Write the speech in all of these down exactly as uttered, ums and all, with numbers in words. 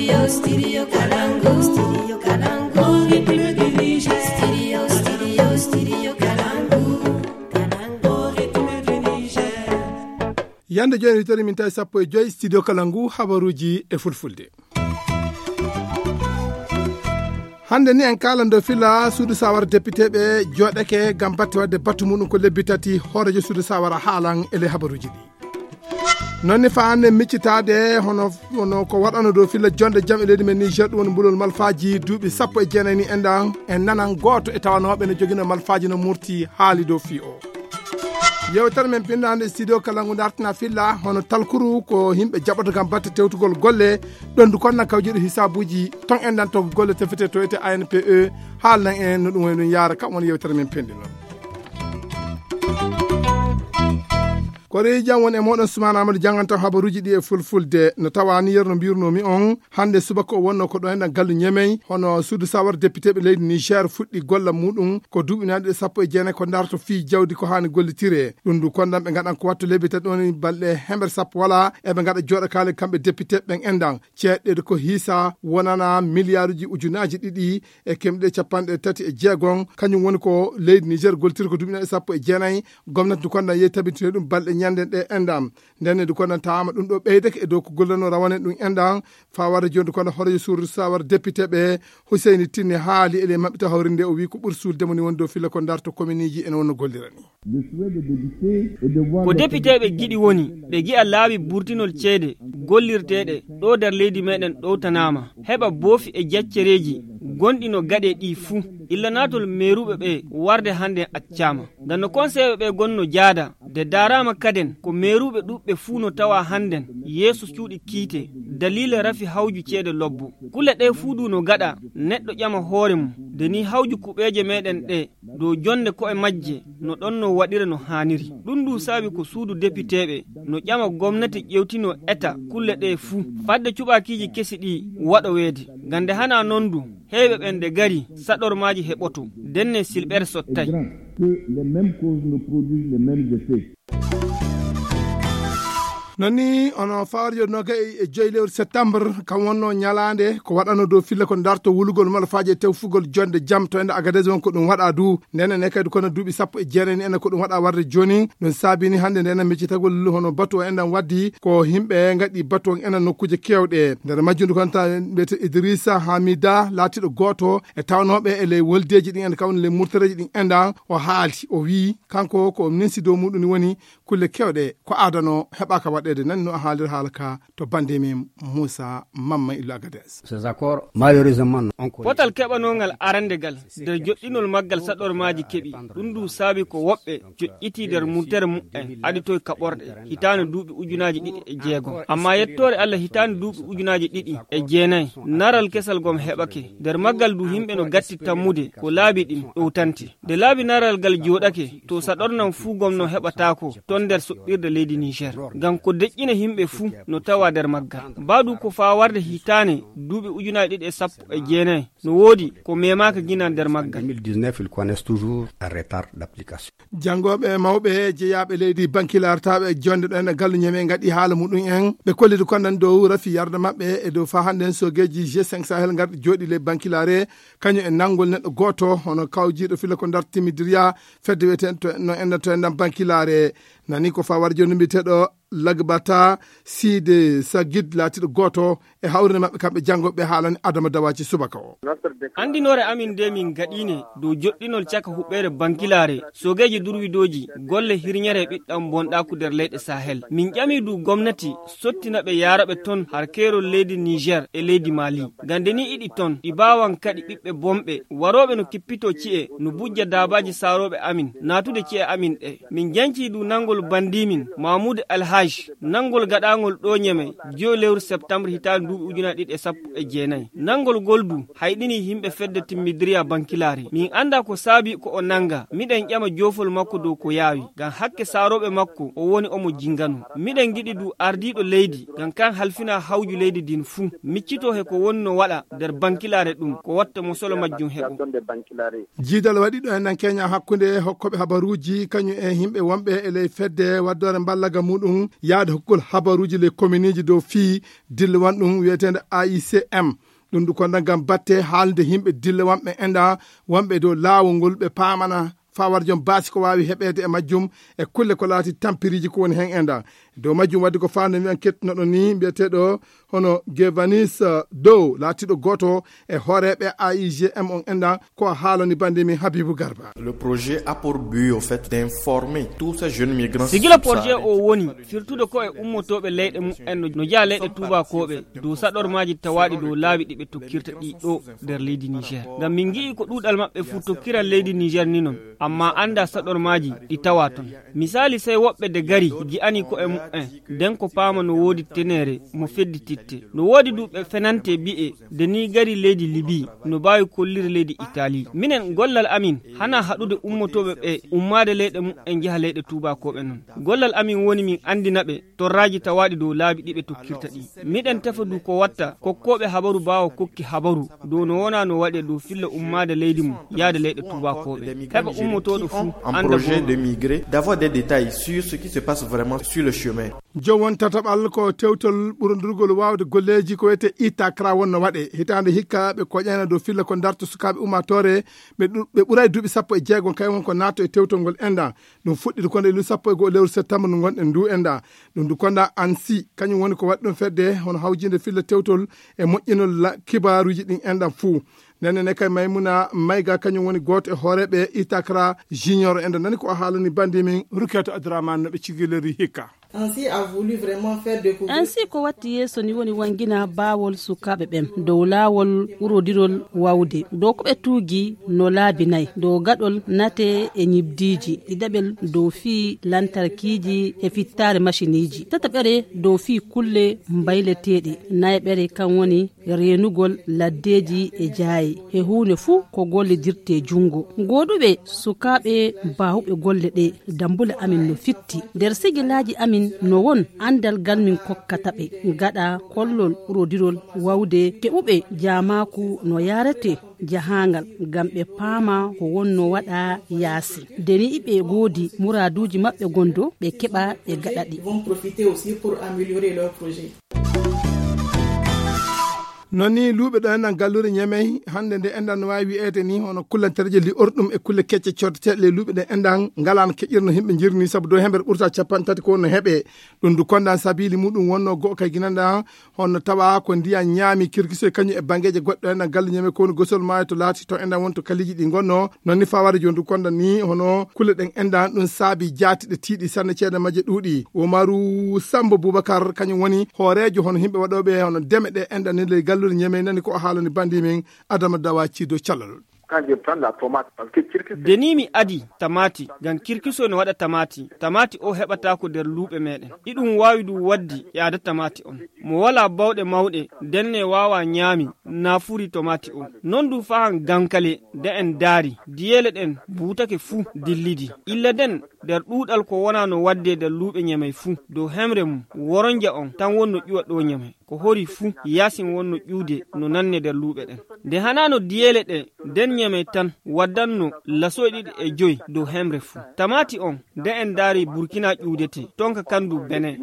Studio Kalangu. Studio Kalangu. Au rythme du Niger. Studio, studio, studio Kalangu. Kalangu, au rythme du Niger. Yande jooni, wittori min tawi sappo e joyi studio kala ngu habaruuji e fulfulde. Hannde ni en kaalan dow filla suudu sawara depiteeɓe jooɗake ngam batte waɗde batu muɗum ko lebbi tati, hooreejo suudu sawara haalan e ley habaruuji ɗi. Noon ni faa hannde miccitaade hono, hono ko waɗano dow filla jonde jam e leydi men Niger, ɗum woni mbulol malfaaji duuɓi sappo e jeenayi ni enɗan, en nanan gooto e tawanooɓe no jogino malfaaji no murti haali dow fii o. Yewtere men pinndo hannde studio kala ngu dartina filla hono talkuru ko yimɓe jaɓoto ngam batte tewtugol golle, ɗon du konna kawjiɗo hisaabuuji ton enɗan to golle tefete to ete A N P E, haalnan en no ɗum woni ɗum yaara kam woni yewtere men pinndi noon. Ko rewi jam woni e mooɗon Sumaana Amadou jannganto habaruuji ɗi e fulfulde. No tawa ni yer no mbirnoomi on, hannde subaka o wonno ko ɗo enɗan gallu Ñemey, hono suudu sawar depiteeɓe leydi Niger fuɗɗi golla muɗum ko duuɓi naɗi ɗe sappo e jeenayi ko darto fii jawdi ko haani gollitire. Ɗum du kondan ɓe ngaɗan ko wattu lebbi tati ɗon balɗe hemere sappo wala eɓe ngaɗa jooɗo kaale kamɓe depiteeɓe ɓen enɗan. Ceeɗɗe ko hiisa wonana miliyaaruuji ujunaaji ɗiɗi e kemɗe capanɗe tati e jeegon, kañum woni ko leydi Niger goltiri ko duuɓi naɗi sappo e jeenayi. Gomnati du kondan yehi tabitinde ɗum balɗe ñande ɗe enɗan. Nden ne du kondan taama ɗum ɗo ɓeydake e dow ko gollano rawane ɗum enɗan. Faa warde jooni du kondan horeejo suudu sawar depiteeɓe Huseyni Tinne haali e ley maɓɓita hawrinde o wii ko ɓuri suulde mo ni woni dow filla ko darto kominiji ene wonno gollira ni. Le souhait des députés est de voir ko les depiteeɓe giɗi woni ɓe gi'a laawi burtinol ceede gollirteeɗe ɗo nder leydi meɗen ɗowtanaama, heɓa boofi e jaccereeji gonɗi no gaɗe ɗi fuu, illa naatol meeruɓe ɓe warde hannden accaama. Ngam no konseyeɓe ɓe gonno jaada, de daaraama kaden ko meeruɓe ɗuɓɓe fuu no tawa hannden yeeso cuuɗi kiite daliila rafi hawju ceede lobbo. Kulle ɗe fuu du no gaɗa neɗɗo ƴama hoore mum, de ni hawju kuɓeeje meɗen ɗe dow jonde ko'e majje no ɗon no waɗira no haaniri. Ɗum du saabi ko suudu depiteeɓe no ƴama gomnati ƴewtino eta kulle ɗe fuu, fadde cuɓaakiiji kesi ɗi waɗoweede. Ngam nde hana non du, heewɓe ɓen nde gari saɗormaaji heɓoto, denne silɓere sottay. Est grand que les mêmes causes ne produisent les mêmes effets. Non ni, ono fawar yo nogay e joyi lewru septembre, kam wonno ñalaande ko waɗano dow filla ko darto wulugol malfaaji e tewfugol jonde jam to ende Agadez won ko ɗum waɗa du. Ndenen e kadi kono duuɓi sappo e jeenayi ni ene ko ɗum waɗa warde jooni. Ɗum saabini hannde ndenen miccitagol hono batu o enen waddi ko yimɓe ngaɗi batu on enen nokkuuje keewɗe. Nder majjundu kon ta mbiyete Idrissa Hamida laatiɗo gooto e tawnooɓe e ley woldeeji ɗin en kawni ley murtareeji ɗin enɗan o haali, o wii kanko ko o ninsi dow muɗum ni woni kulle keewɗe ko aadano heɓaaka waɗeede. Nan no a haalira haala ka to bannde men Moussa Mamma Illo Agadez. Ces accords, malheureusement, on connaît. Potal keɓanongal arandegal nder joɗɗinol maggal saɗormaaji keɓi. Ɗum ndu saabi ko woɓɓe joƴƴiti nder murtere mumen aditoy kaɓorɗe hitaande duuɓi ujunaaji ɗiɗi e jeegom. Amma yettoore Allah hitaande duuɓi ujunaaji ɗiɗi e jeenayi, naral kesal gom heɓake. Nder maggal du yimɓe no gatti tammude ko laabi ɗin ɗowtante. Nde laabi naral gal jooɗake, to saɗornan fuu gom no heɓataako ton nder soɓɓirde leydi Niger. Ngam ko deƴƴina yimɓe fuu no tawa nder maggal. Mbaadu ko faa warde hitaande duuɓi ujunaaji ɗiɗi e sappo e jeenayi, no woodi ko memaaka gina nder maggal. deux mille dix-neuf, ils connaissent toujours un retard d'application. Janngooɓe mawɓe jeyaaɓe leydi bankilartaaɓe e jonde ɗo en e gallu ñeme ngaɗi haala muɗum en. Ɓe kollidi kondan dow rafi yarda maɓɓe e dow faa hannden soogeeji G cinq Sahel ngarɗi jooɗi ley bankilaare. Kañum e nanngol neɗɗo gooto, hono kawjiiɗo filla ko ndartimidiriya fedde wiyeteeɗo to, no enɗan to enɗan bankilaare. Nani ko fawar jooni mbiyeteeɗo Lagbata Side Sagid laatiiɗo gooto e hawrinde maɓɓe kamɓe janngo ɓe haalani Adama Dawaci subaka o. Anndinoore amin nde min gaɗiine dow joɗɗinol caka huɓɓeere bankilaare, soogeeji durwidooji, golle hirñere e ɓiɗɗam bonɗaaku nder leyɗe Sahel. Min ƴami du gomnati sottina ɓe yaara ɓe ton har keerol leydi Niger e leydi Mali. Ngam nde ni iɗi ton, ɗi baawan kaɗi ɓiɓɓe bonɓe, warooɓe no kippitoo ci'e, no bujja daabaaji saarooɓe amin, naatude ci'e amin ɗe. Min jancii du nanngol bandiimin, Mahmoud Alhaj, nanngol gaɗaangol ɗo ñeme, joyi lewru septembre hitaande duuɓi ujunaaji ɗiɗi e sappo e jeenayi. Nanngol ngol du hayɗinii yimɓe fedde timmidiriya bankilaare. Min anndaa ko saabi ko o nannga, miɗen ƴama joofol makko dow ko yaawi, ngam hakke saarooɓe makko o woni omo jinngano. Miɗen ngiɗi du ardiiɗo leydi, ngam kan halfina hawju leydi ndin fuu, miccitoo he ko woni no waɗa nder bankilaare ɗum, ko watta mo solo majjum heɓo. Jiidal waɗiiɗo e nan Kenya hakkunde hokkooɓe habaruuji, kañum e yimɓe wonɓe e ley fedde waddoore mballaga muɗum, yaade hokkugol habaruuji ley kominiiji dow fii dillewan ɗum wiyeteende A I C M. Ɗum ndu konda ngam batte haalde yimɓe dillewanɓe enɗan wonɓe dow laawol ngol ɓe paamana faa wara jom baasi ko waawi heɓeede e majjum e kulle ko laati tampiriiji ko woni heen enɗan. Dow majjum wadde ko faande mi en kettunoɗo ni mbiyeteeɗo hono Gevanis Dow laatiiɗo gooto e hooreeɓe A I G M on enɗan ko a haalani bannde min Habibu Garba. Le projet a pour but au fait d'informer tous ces jeunes migrants. Sigila projet o woni firtude ko e ummotooɓe leyɗe mumen no njaha leyɗe tuubakooɓe dow saɗormaaji tawaaɗi dow laawi ɗi ɓe tokkirta ɗi ɗo nder leydi Niger. Ngam min ngi'i ko ɗuuɗal maɓɓe fuu tokkiran leydi Niger ni non, amma annda saɗormaaji ɗi tawa ton. Misaali, sey woɓɓe de gari ngi'ani ko e mumen, nden ko paama no woodi teneere mo feddititte. No woodi du ɓe fenante bi'e de ni gari leydi Libi, no baawi kolliri leydi Itali. Minen gollal amin hana haɗude ummotooɓe ɓe ummaade leyɗe mumen njaha leyɗe tuubakooɓe non. Gollal amin woni min anndina ɓe torraaji tawaaɗi dow laabi ɗi ɓe tokkirta ɗi. Miɗen tefa du ko watta kokkooɓe habaru baawa kokki habaru dow no wona no waɗe dow filla ummaade leydi mum yaade leyɗe tuubakooɓe. Heɓa ummotooɗo fuu en annda projet de migrer, d'avoir des détails sur ce qui se passe vraiment sur le chemin. Joom won tataɓal ko tewtol ɓurondurgol waawde golleeji ko wiyetee Itakra wonno waɗe. Hitaande hikka ɓe koƴayna dow filla ko darto sukaaɓe ummaatoore ɓe ɗu-, ɓe ɓuray duuɓi sappo e jeegom kay won ko naatto e tewtol ngol enɗan. Ɗum fuɗɗiti ko nde lu sappo e go'o lewru septembre ndu ngonɗen ndu enɗan. Ɗum ndu konda ANSI, kañum woni ko waɗi ɗum fedde hono hawjinde filla tewtol e moƴƴinol la-, kibaaruuji ɗin enɗan fuu. Nden ne kay Maymuna Mayga kañum woni gooto e hooreeɓe Itakra Junior enɗan. Nani ko o haalani bandi min Rukiyatu Abdurrahman no ɓe cigilori hikka. ANSI a voulu vraiment faire découvrir. ANSI ko watti yeeso ni woni wangina baawol sukaaɓe ɓen dow laawol ɓurodirol wawde. Dow ko ɓe tuugi no laabi nay. Dow gaɗol nate e ñibdiiji. Ɗiɗaɓel dow fii lantarkiiji e fittaare maciniiji. Tataɓere dow fii kulle mbayleteeɗe. Nayaɓere kan woni reenugol laddeeji e jaaye. He huunde fuu ko gollidirtee junngo. Gooduɓe sukaaɓe baawuɓe golle ɗe, dambule amin no fitti. Nder sigilaaji amin no won anndal ngal min kokkata ɓe. Gaɗa kollol ɓurodirol wawde keɓuɓe jaamaaku no yaarete jahaangal ngam ɓe paama ko wonno waɗa yaasi. Nde ni ɓe ngoodi muraaduuji maɓɓe gondo ɓe keɓa ɓe gaɗa ɗi. Ils vont profiter aussi pour améliorer leur projet. Non ni luuɓe ɗo enɗan galluure Ñemey, hannde nde enɗan no waawi wi'eede ni hono kullantereeje li'orɗum e kulle kecce coddeteeɗe ley luuɓe ɗe enɗan ngalaano keƴirno yimɓe njirni sabu dow hemɓe ɓurta capanɗe tati ko wonno heɓe. Ɗum du kondan sabiili muɗum wonno go'o kay ginanɗan hono tawa ko ndiyan ñaami kirkisoy kañum e banngeeje goɗɗe enɗan galle Ñemey ko woni gosol maayo to laati to enɗan woni to kaliiji ɗi ngonno. Non ni faa wara jooni du kondan ni hono kulle ɗen enɗan ɗum saabi jaati ɗe tiiɗi sanne ceede majje ɗuuɗi. Umaru Sambo Bubakar kañum woni hooreejo hono yimɓe waɗooɓe hono deme ɗe enɗan ni ley galluure Ñemey nani ko o haalani bandi min Adama Dawa Ciido Calal. Quand je prends la tomate, parce que circuit Nde ni mi adi tamaati, ngam kirkiso no waɗa tamaati. Tamaati o heɓataako nder luuɓe meɗen. Iɗum waawi ɗum waddi e ada tamaati on. Mo walaa bawɗe mawɗe, ndenne waawa ñaami naafuri tomaati o. Non ɗum fahan gankale, nde en daari, diyeele ɗen buutake fuu dillidi. Illa nden, nder ɗuuɗal ko wonaa no waddee nder luuɓe Ñemey fuu, dow hemre mum, woronja on tan wonno ƴuwa ɗo Ñemey. Ko hori fuu, yaasin wonno ƴuwde no nanne nder luuɓe ɗen. Nde hanaano diyeele ɗe, nden Ñemey tan waddanno lasoy ɗiɗi e joy dow hemre fuu. Tamaati on, nde en ndaari Burkina ƴuwdete, tonka kandu Benin.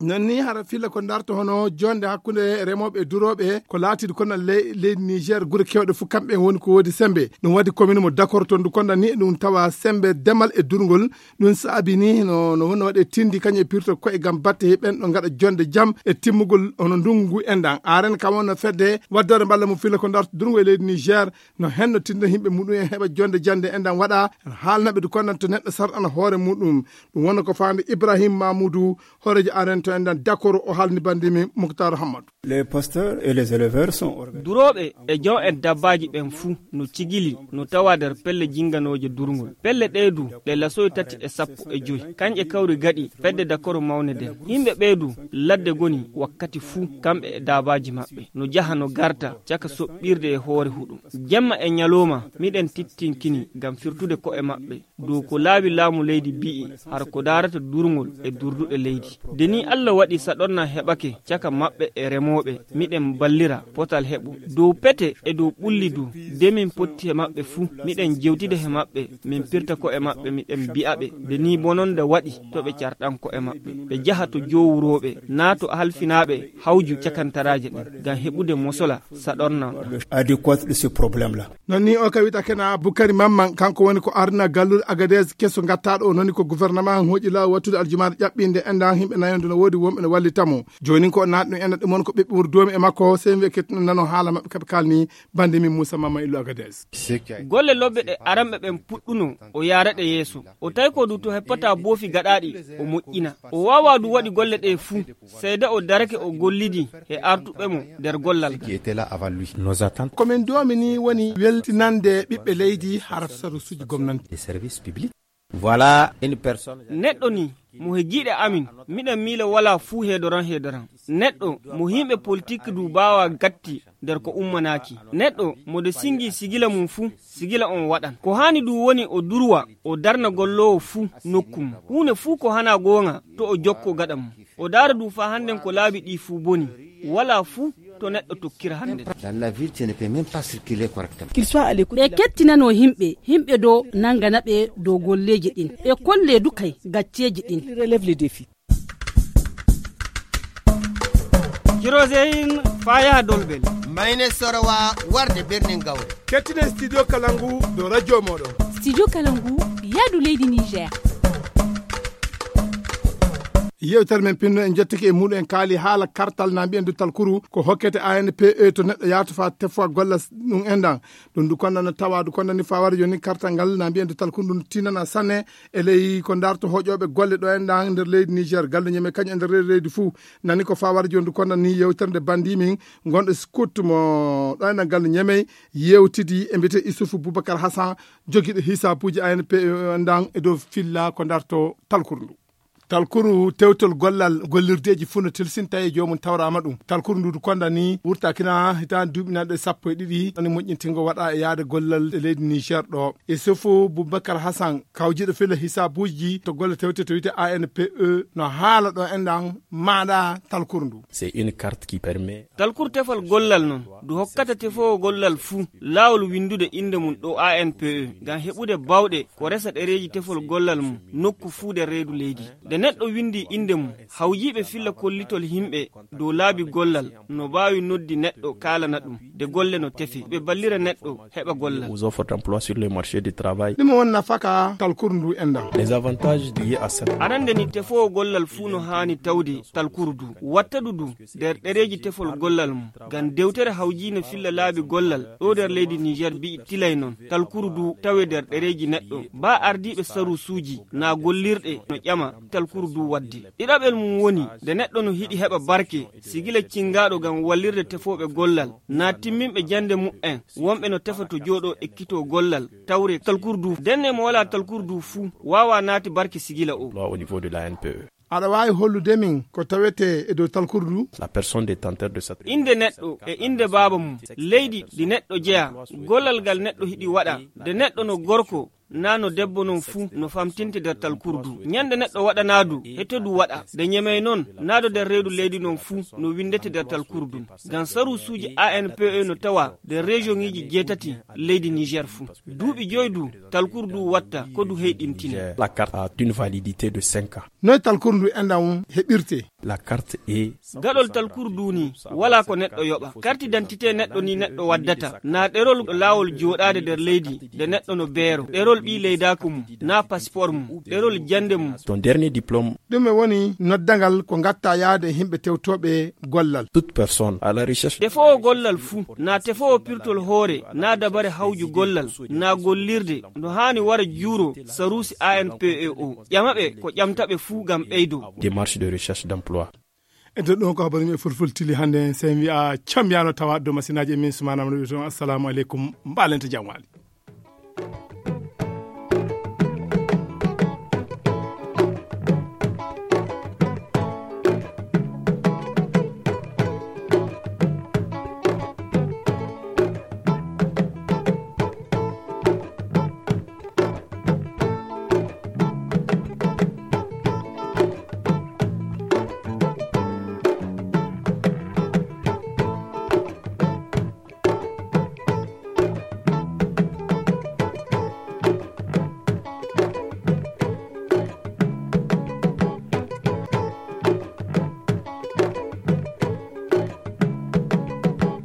Non ni hara filla ko darto hono jonde hakkunde remooɓe e durooɓe, ko laatiiɗo kono le-, leydi Niger, gure kewɗe fuu kamɓe woni ko woodi sembe. Ɗum waɗi commune mo Dakar toon du konda ni ɗum tawa sembe demal e durngol. Ɗum saabi ni no, no wonno waɗe tindi kañum e pirto koye ngam batte he ɓen ɗo ngaɗa jonde jam e timmugol hono ndungu ngu enɗan. Aren kam wonno fedde waddore mballa mo filla ko darto durngol e leydi Niger no henno tinda yimɓe muɗum en heɓa jonde jande enɗan waɗa haalnaɓe du kondan to neɗɗo sarɗana hoore muɗum. Ɗum wonno ko faande Ibrahim Mamoudou, hooreejo aren to enɗan Dakar o haalni bandi min Moukhtar Hamadou. Les pasteurs et les éleveurs sont organisés. Durooɓe e jom en dabbaaji ɓen fuu no cigili no tawa nder pelle jinganooje durngol. Pelle ɗee du ɗe lasoy tati e sappo e joy. Kañƴe kawri gaɗi fedde Dakoro mawnde nden. Yimɓe ɓee du ladde goni wakkati fuu kamɓe e daabaaji maɓɓe. No jaha no garta caka soɓɓirde e hoore huɗum. Jemma e ñalooma miɗen tittinkini ngam firtude ko'e maɓɓe. Dow ko laawi laamu leydi bi'i, har ko daarata durngol e durduɗe leydi. Nde ni Allah waɗi saɗorna heɓake caka maɓɓe e remooɓe. Ɓe miɗen ballira potal heɓu dow pete e dow ɓulli du. De min potti he maɓɓe fuu, miɗen jewtida he maɓɓe, min pirta ko'e maɓɓe, miɗen bi'a ɓe, de nii bononda waɗi to ɓe carɗan ko'e maɓɓe, ɓe jaha to jowurooɓe naa to halfinaaɓe hawju cakantaraaje ɗen, ngam heɓude mosola saɗornoo ɗam. Adéquat de ce problème là. Non ni o kawita kena Bukari Mamman, kanko woni ko ardina gallude Agadez keso gattaɗo o, noni ko gouvernement hooƴi laawol wattude aljumaare ƴaɓɓinde enɗan himɓe nayo nde no woodi wonɓe no wallita mo. Jooni ko naatɗum enɗan ɗum on ko ɓiɓɓe wuro doomi e makko, sey wi'e kettuno nano haala maɓɓe kaɓe kalni bande min Moussa Mamman illu Agadez. Golle lobbe ɗe aranɓe ɓen puɗɗuno o yaara ɗe yeeso. O tawi ko du to heppata boofi gaɗaaɗi o moƴƴina. O waawaa du waɗi golle ɗe fuu. Seeda o darake o gollidi he artuɓe mo nder gollal ngal. Ko min doomini woni weltinande ɓiɓɓe leydi harata sarusuuji gomnanti. Voilà une personne. Neɗɗo ni mo he giiɗe amin, miɗen miila walaa fuu heedoran heedoran. Neɗɗo mo himɓe politik du baawa gatti nder ko ummanaaki. Neɗɗo mo de singi sigila mum fuu, sigila on waɗan. Ko haani du woni o durwa, o darna golloowo fuu nokku mum. Huune fuu ko hana goonga to o jokko gaɗa mum. O daara du faa hannden ko laabi ɗi fuu boni. Walaa fuu to neɗɗo tokkira hannden. Dans la ville, tu ne peux même pas circuler correctement. Ɓe kettinano himɓe, himɓe do nangana ɓe dow golleeji ɗin. Ɓe kolle du kay gacceeji ɗin. Jiroseyin faa yaha Dolbel. Mayne Sorowa warde Birnin Gawre. Kettinen Studio Kalangu dow radio mooɗon. Studio Kalangu, yaadu leydi Niger. Yewtere men pinno en jottike e muɗum en kaali haala kartal na mbiyen du talkuru ko hokkete A N P E to neɗɗo yahata faa tefowa golla ɗum enɗan. Ɗum du konda no tawa du konda ni faa wara jooni kartal ngal na mbiyen du talkuru ndu tinana sanne e ley ko darto hoƴooɓe golle ɗo enɗan nder leydi Niger. Galluuje men kañum e nder reedu leydi fuu nani ko faa wara jooni du konda ni yewtere nde bandi min gonɗo scout mo ɗo enɗan galluuje men yewtidi e mbiyete Issoufou Boubacar Hassan jogiiɗo hisaabuuji A N P E enɗan e dow filla ko darto talkuru ndu. Talkuru tewtol gollal gollirdeeji fuu no tilsinta e joomum tawraama ɗum. Talkuru ndu du konda ni wurtakina hitaande duuɓi nanɗe sappo e ɗiɗi, woni moƴƴintingo waɗa e yaade gollal e leydi Niger ɗo. Issoufou Boubacar Hassan, kawjiiɗo filla hisaabuuji to golle tewte to wiyete A N P E, no haala ɗo enɗan maanaa talkuru ndu. C'est une carte qui permet. Talkuru tefol gollal non, du hokkata tefoowo gollal fuu laawol winndude innde mum ɗo A N P E, ngam heɓude baawɗe ko resa ɗereeji tefol gollal mum nokku fuu nder reedu leydi. Nde neɗɗo winndi innde mum, hawjiiɓe filla kollitol himɓe dow laabi gollal no mbaawi noddi neɗɗo kaalana ɗum de golle no tefe, ɓe ballira neɗɗo heɓa gollal. Aux offres d'emploi sur le marché du travail. Ɗum won nafaka talkuru ndu enɗan. Les avantages liés à cette. Arande ni tefoowo gollal fuu no haani tawde talkuru ndu, watta du du nder ɗereeji tefol gollal mum. Ngam dewtere hawjiinde filla laabi gollal ɗo nder leydi Niger bi'i tilay non talkuru du tawe nder ɗereeji neɗɗo. Baa ardiiɓe sarusuuji naa gollirɗe no ƴama talkuru du waɗde. Ɗiɗaɓel mum woni nde neɗɗo no hiɗi heɓa barke, sigila cingaaɗo ngam wallirde tefooɓe gollal, naa timminɓe jannde mu'en, wonɓe no tefa to jooɗoo ekkitoo gollal, tawre talkuru du. Denne mo walaa talkuru du fuu waawaa naati barke sigila o. Loi au niveau de l'A N P E. Aɗa waawi hollude min ko tawetee e dow talkuru du? La personne détenteur de cette. Innde neɗɗo e innde baaba mum, leydi ndi neɗɗo jeyaa, gollal ngal neɗɗo hiɗi waɗa, nde neɗɗo no gorko, naa no debbo non fuu no famtinte nder talkuru du. Ñande neɗɗo waɗanaa du, heto du waɗa, nde ñemey non, naa do nder reedu leydi non fuu no winndete nder talkuru du. Ngam sarusuuji A N P E no tawa nder région ŋiiji jeetati leydi Niger fuu. Duuɓi joy du, talkuru du watta ko du heyɗintine. La carte a une validité de cinq ans. Noy talkuru ndu enɗan heɓirte? La carte est. Gaɗol talkuru du ni, walaa ko neɗɗo yoɓa. Carte d'identité neɗɗo ni neɗɗo waddata. Naa ɗerol laawol jooɗaade nder leydi, nde neɗɗo no beero. Ɗerol ɓii leydaaku mum, naa passeport mum, ɗerol jannde mum. Ton dernier diplôme. Ɗum e woni noddangal ko ngatta yaade e yimɓe tewtooɓe gollal. Toute personne à la recherche. Tefoowo gollal fuu, naa tefoowo pirtol hoore, naa dabare hawju gollal, naa gollirde, no haani wara juuro saruusi A N P E o. Ƴama ɓe ko ƴamta ɓe fuu ngam ɓeydo. Démarche de recherche d'emploi. E nder ɗum ko habaru men fulfulde tili hannde, sey mi wi'a cam yaano tawa dow masinaaji e min Sumaana Amadu toon. Assalamu aleykum, mbaalente jam waali.